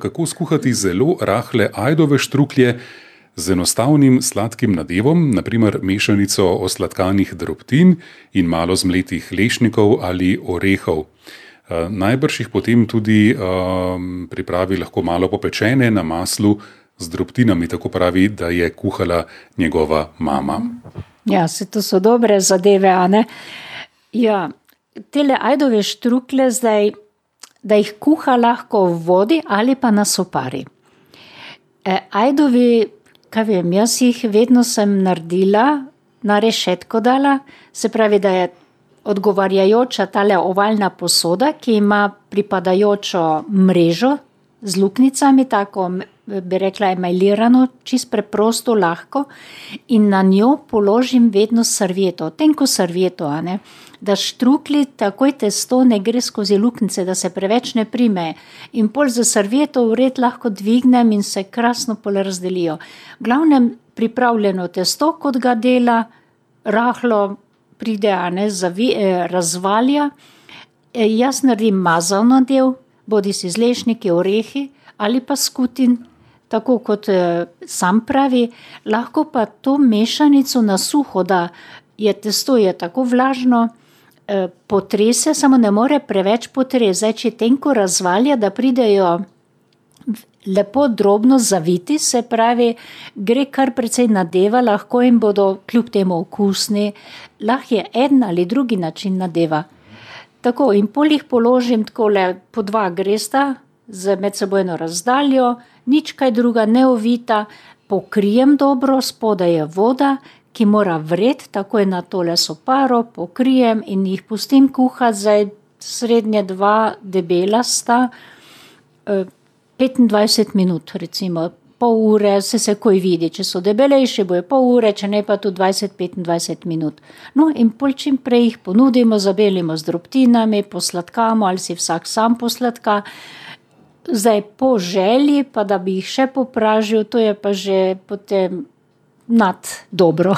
Kako skuhati zelo rahle ajdove štruklje z enostavnim sladkim nadevom, naprimer mešanico osladkanih drobtin in malo zmletih lešnikov ali orehov. Najbrž jih potem tudi pripravi lahko malo popečene na maslu z drobtinami, tako pravi, da je kuhala njegova mama. Ja, to so dobre zadeve, a ne? Ja, tele ajdove štruklje zdaj, da jih kuha lahko v vodi ali pa na sopari. Ajdovi, kaj vem, jaz jih vedno sem naredila, na rešetko dala, se pravi, da je odgovarjajoča tale ovalna posoda, ki ima pripadajočo mrežo z luknicami, tako bi rekla emajlirano, čist preprosto, lahko, in na njo položim vedno servieto, tenko servieto, a ne, da štrukli takoj testo ne gre skozi luknice, da se preveč ne prime. In pol za servieto vred lahko dvignem in se krasno pol razdelijo. V glavnem pripravljeno testo, kot ga dela, rahlo pride, a ne, razvalja. Jaz naredim mazan nadev, bodisi z lešniki, orehi ali pa skutin, tako kot sam pravi, lahko pa to mešanico na suho, da je testo je tako vlažno, potrese, samo ne more preveč potrese. Zdaj, če tenko razvalja, da pridejo lepo drobno zaviti, se pravi, gre kar precej nadeva, lahko jim bodo kljub temu okusni, lahko je en ali drugi način nadeva. Tako, in pol jih položim takole po 2 gresta z medsebojno razdaljo, nič kaj druga, ne ovita, pokrijem dobro, spodaj je voda, ki mora vred, takoj na tole soparo, pokrijem in jih pustim kuhati, zdaj srednje 2 debela sta, 25 minut, recimo, pol ure, se koj vidi, če so debelejši, bojo pol ure, če ne pa tu 20-25 minut. No, in pol čim prej jih ponudimo, zabelimo z drobtinami, posladkamo, ali si vsak sam posladka. Zdaj, po želji, pa da bi jih še popražil, to je pa že potem nad dobro.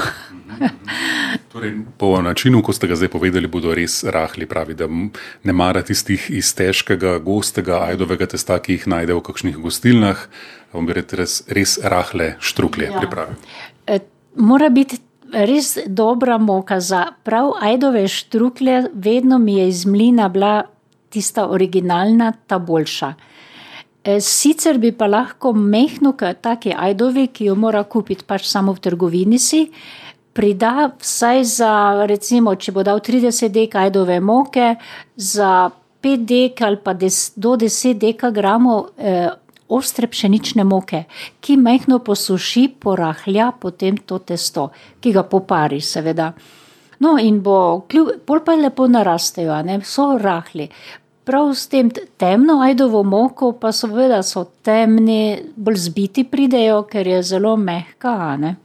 Torej, po načinu, ko ste ga zdaj povedali, bodo res rahli, pravi, da ne mara tistih iz težkega, gostega ajdovega testa, ki jih najde v kakšnih gostilnah, bom bi res rahle štruklje pripravi. Mora biti res dobra moka za prav ajdove štruklje, vedno mi je iz mlina bila tista originalna, ta boljša. Sicer bi pa lahko mehno, taki ajdovi, ki jo mora kupiti pač samo v trgovini si, prida vsaj za, recimo, če bo dal 30 dek ajdove moke, za 5 dek ali pa do 10 dekagramov ostre pšenične moke, ki mehno posuši, porahlja potem to testo, ki ga popari, seveda. No, in pol pa lepo narastejo, ne, so rahli. Prav s tem temno ajdovo moko pa seveda so temni, bolj zbiti pridejo, ker je zelo mehka, ne.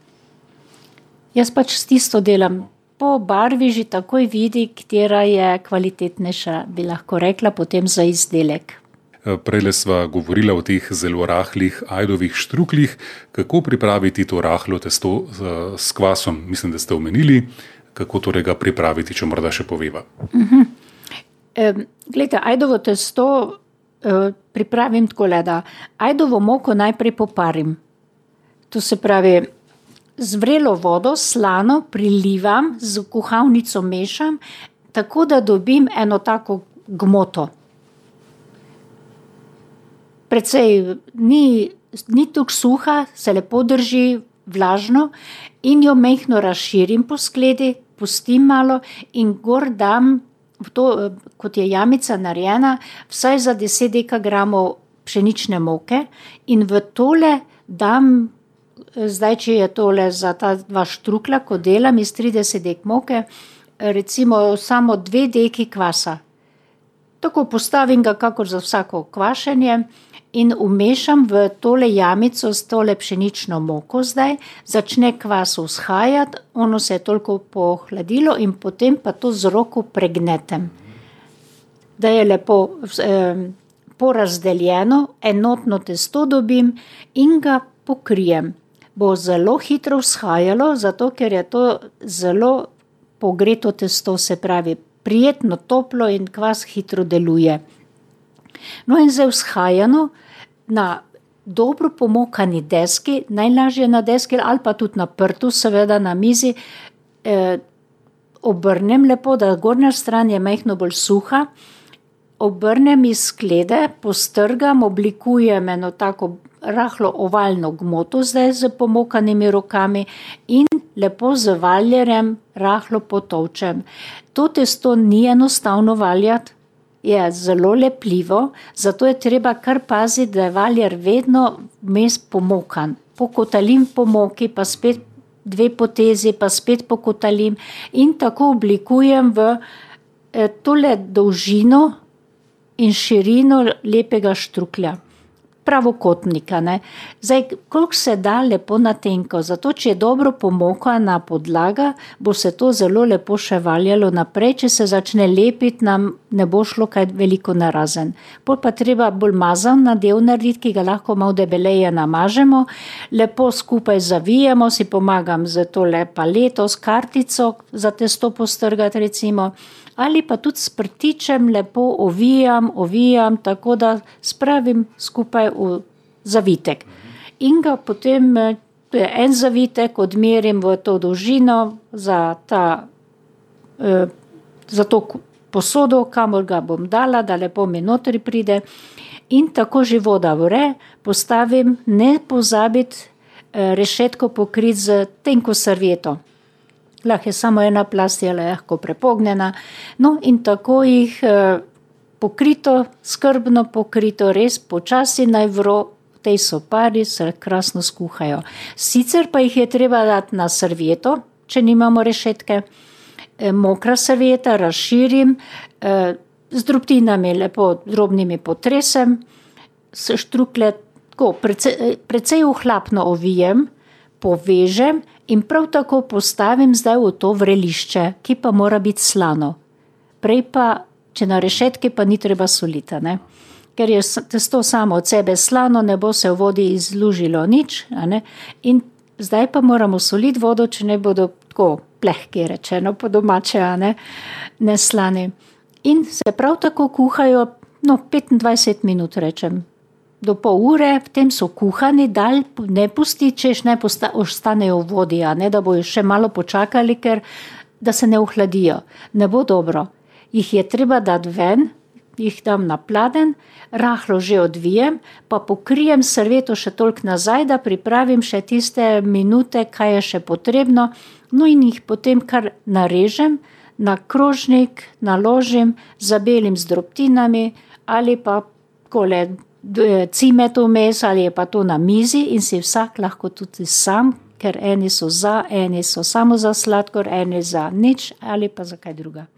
Jaz pač s tisto delam. Po barvi že takoj vidi, katera je kvalitetnejša, bi lahko rekla, potem za izdelek. Prejle sva govorila o teh zelo rahlih ajdovih štruklih. Kako pripraviti to rahlo testo s kvasom? Mislim, da ste omenili, kako torej ga pripraviti, če morda še poveva. Glejte, ajdovo testo pripravim takole, da ajdovo moko najprej poparim. To se pravi, z vrelo vodo, slano, prilivam, z kuhalnico mešam, tako da dobim eno tako gmoto. Precej ni tako suha, se lepo drži, vlažno, in jo mehno razširim po skledi, pustim malo in gor dam to, kot je jamica narejena, vsaj za 10 dekagramov pšenične moke in v tole dam, zdaj, če je tole za ta 2 štrukla, ko delam iz 30 dek moke, recimo samo 2 deki kvasa. Tako postavim ga kakor za vsako kvašenje in umešam v tole jamico s tole pšenično moko zdaj, začne kvas vzhajati, ono se je toliko pohladilo in potem pa to z roko pregnetem. Da je lepo porazdeljeno, enotno testo dobim in ga pokrijem. Bo zelo hitro vzhajalo, zato ker je to zelo pogreto testo, se pravi, prijetno toplo in kvas hitro deluje. No in zdaj vzhajano, na dobro pomokani deski, najlažje na deski ali pa tudi na prtu, seveda na mizi, obrnem lepo, da gornja stran je majhno bolj suha, obrnem iz sklede, postrgam, oblikujem eno tako rahlo ovalno gmoto zdaj z pomokanimi rokami in lepo z valjerjem rahlo potolčem. To testo ni enostavno valjati, je zelo lepljivo, zato je treba kar paziti, da je valjer vedno vmes pomokan. Pokotalim po moki, pa spet 2 potezi, pa spet pokotalim in tako oblikujem v tole dolžino in širino lepega štruklja. Pravokotnika, ne. Zdaj, koliko se da lepo na tenko, zato če je dobro pomokana podlaga, bo se to zelo lepo še valjalo naprej, če se začne lepiti, nam ne bo šlo kaj veliko narazen. Pol pa treba bolj mazan nadev narediti, ki ga lahko malo debeleje namažemo, lepo skupaj zavijemo, si pomagam z tole paleto, s kartico za testo postrgati recimo, ali pa tudi s prtičem lepo ovijam, tako da spravim skupaj v zavitek. In ga potem, to je en zavitek, odmerim v to dolžino za to posodo, kamor ga bom dala, da lepo mi notri pride. In tako že voda vre, postavim, ne pozabiti rešetko pokriti z tenko servieto. Lahko je samo ena plast, je lahko prepognjena. No, in tako jih pokrito, skrbno pokrito, res počasi naj vro, v tej sopari se krasno skuhajo. Sicer pa jih je treba dati na servieto, če nimamo rešetke. Mokra servieta razširim, z drobtinami lepo drobnimi potresem, s štruklje tako precej ohlapno ovijem, povežem in prav tako postavim zdaj v to vrelišče, ki pa mora biti slano. Prej pa, če na rešetki, pa ni treba soliti, ne? Ker je testo samo od sebe slano, ne bo se v vodi izlužilo nič, ne? In zdaj pa moramo soliti vodo, če ne bodo tako plehki, rečeno po domače, ne slani. In se prav tako kuhajo, 25 minut rečem. Do pol ure, v tem so kuhani, dal ne pusti, češ ne ostanejo v vodi, da bojo še malo počakali, ker da se ne ohladijo. Ne bo dobro. Jih je treba dati ven, jih dam na pladenj, rahlo že odvijem, pa pokrijem servieto še toliko nazaj, da pripravim še tiste minute, kaj je še potrebno, no in jih potem kar narežem, na krožnik naložim, zabelim z drobtinami ali pa kole cimet vmes ali je pa to na mizi in si vsak lahko tudi sam, ker eni so samo za sladkor, eni za nič ali pa za kaj druga.